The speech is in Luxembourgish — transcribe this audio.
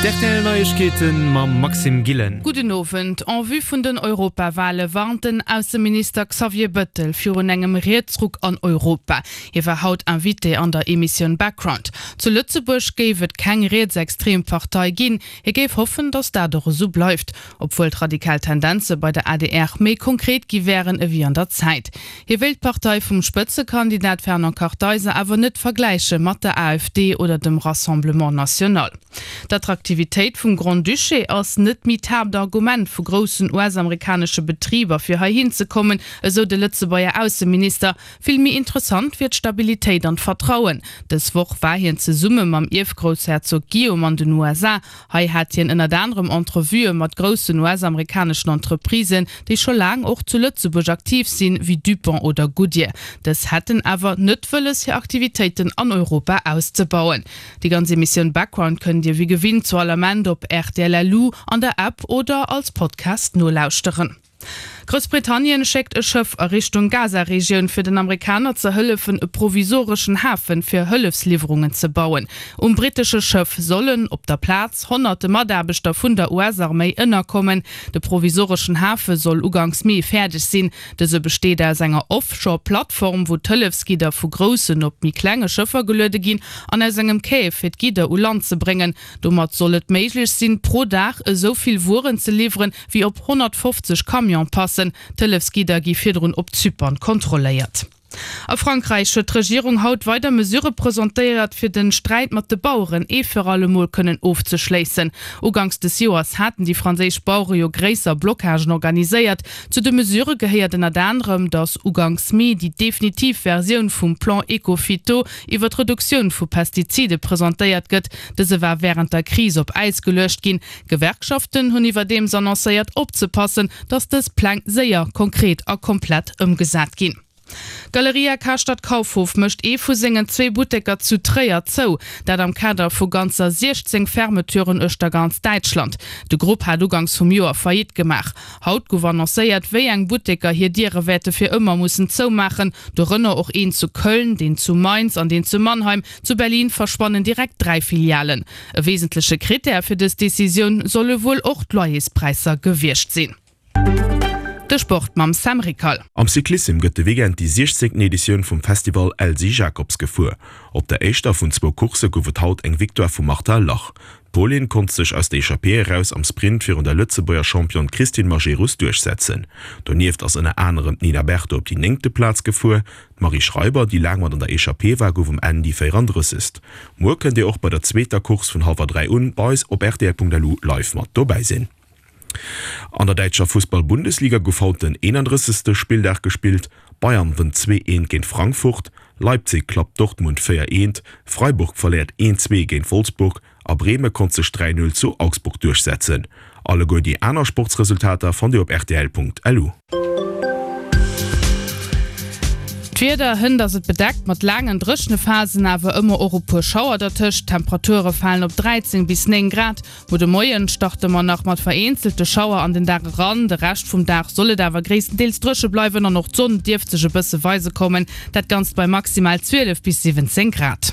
D'RTL Neiegkeeten mam Maxime Gillen. Gudden Owend. En vue vun den Europawale warnt den Ausseminister Xavier Bëttel virun engem Rietsruck an Europa. Hie war haut Invité an der Emissioun Background. Zu Lëtzebuerg géif et keng rietsextrem Partei ginn. Hie géif hoffen, datt dat och esou bleift, obwuel d'radikal Tendenze bei der adr méi konkret gi wären ewéi an der Zäit. Hie wéilt d'Partei vum Spëtzekandidat Fernand Kartheiser awer net vergläiche mat der AfD oder dem Rassemblement National. D'Attraktivitéit vum Grand-Duché ass net méi d'Haaptargument vu groussen US-amerikanesche Betriber fir heihin ze kommen, esou de Lëtzebuerger Ausseminister. Vill méi interessant wier d'Stabilitéit an d'Vertrauen. Dës Woch war hien zesumme mam Ierfgroussherzog Guillaume an den USA. Hei hat hien ënnert anerem Entrevuë mat groussen US-amerikaneschen Entreprisen, déi scho laang och zu Lëtzebuerg aktiv sinn, wéi Dupont oder Goodyear. Dës hätten awer net wëlles, hir Aktivitéiten an Europa auszebauen. Déi ganz Emissioun Background kënnt Dir wéi gewinnt zu all Ament op rtl.lu, an der App oder als Podcast nolauschteren. Groussbritannien schéckt e Schëff a Richtung Gaza-Regioun, fir den Amerikaner ze hëllefen, e provisoreschen Hafen fir Hëllefsliwwerungen ze bauen. Um brittesche Schëff sollen op der Plaz honnerte Mataarbechter vun der US-Arméi ënnerkommen. De provisoreschen Hafe soll uganks Mee fäerdeg sinn. Dëse besteet aus enger Offshore-Plattform, wou d'Hëllefsgidder vu groussen op méi klenge Schëffer geluede ginn, an aus engem Quai, fir d'Gidder u Land ze bréngen. Domat soll et méiglech sinn, pro Dag esou vill Wueren ze liwweren, wéi op 150 Camione passen. D'Hëllefsgidder gi virdrun op Zypern kontrolléiert. A Frankräich huet d'Regierung haut weider Mesure presentéiert, fir de Sträit mat de Baueren ee fir alle Mol kënnen ofzeschléissen. Uganks des Joers haten déi franséisch Bauere jo gréisser Blockagen organiséiert. Zu de Mesure gehéiert ënnert anerem, datt uganks Mee déi definitiv Versioun vum Plan Ecophyto iwwer d'Reduktioun vu Pestizide presentéiert gëtt. Dëse war wärend der Kris op Äis geluecht ginn. D'Gewerkschaften hunn iwwerdeems annoncéiert, opzepassen, datt dës Pläng séier, konkret a komplett ëmgesat ginn. D'Galeria Karstadt Kaufhof mécht ee vu sengen zwee Butteker zu Tréier zou. Dat am Kader vu ganzer 16 Fermeturen uechter ganz Däitschland. De Grupp hat uganks vum Joer Faillite gemaach. Haut gouf annoncéiert, wéi eng Butteker hir Diere wäerte fir ëmmer mussen zoumaachen, dorënner och een zu Köln, deen zu Mainz an deen zu Mannheim. Zu Berlin verschwannen direkt 3 Filialen. E wesentleche Krittär fir dës Decisioun solle wuel och d'Loyerspräisser gewiescht sinn. De Sport mam Sam Rickal. Am Cyclissem gëtt de Weekend déi 16. Editioun vum Festival Elsy Jacobs gefuer. Op der éischter vun zwou Coursse gouf et haut eng Victoire vum Marta Lach. D'Polin konnt sech aus der Echappée eraus am Sprint virun der Lëtzebuerger Championne Christine Majerus duerchsetzen. Donieft ass ënner anerem d'Nina Berton op déi néngte Plaz gefuer. D'Marie Schreiber, déi laang mat an der Echappée war, gouf um Enn déi 34. Muer kënnt Dir och bei der zweeter Course vun hallwer 3 un bei eis op rtl.lu live mat dobäi sinn. An der däitscher Fussball-Bundesliga gouf haut den 31. Spilldag gespillt. Bayern wënnt 2, 1 géint Frankfurt, Leipzig klappt Dortmund 4, 1, Freiburg verléiert 1, 2 géint Wolfsburg A Breme konnt sech 3, 0 zu Augsburg duerchsetzen. Alleguer déi aner Sportsresultater fannt Dir op rtl.lu. D'Wieder, Hënt ass et bedeckt mat laangen dréchene Phasen, awer ëmmer och e puer Schauer dertëscht. D'Temperature falen op 13 bis 9 Grad. Muer de Moien starte mer nach mat vereenzelte Schauer an den Dag eran, de Rescht vum Dag soll et awer gréisstendeels dréche bleiwen an och d'Sonn dierft sech e bësse weise kommen. Dat Ganzt bei maximal 12 bis 17 Grad.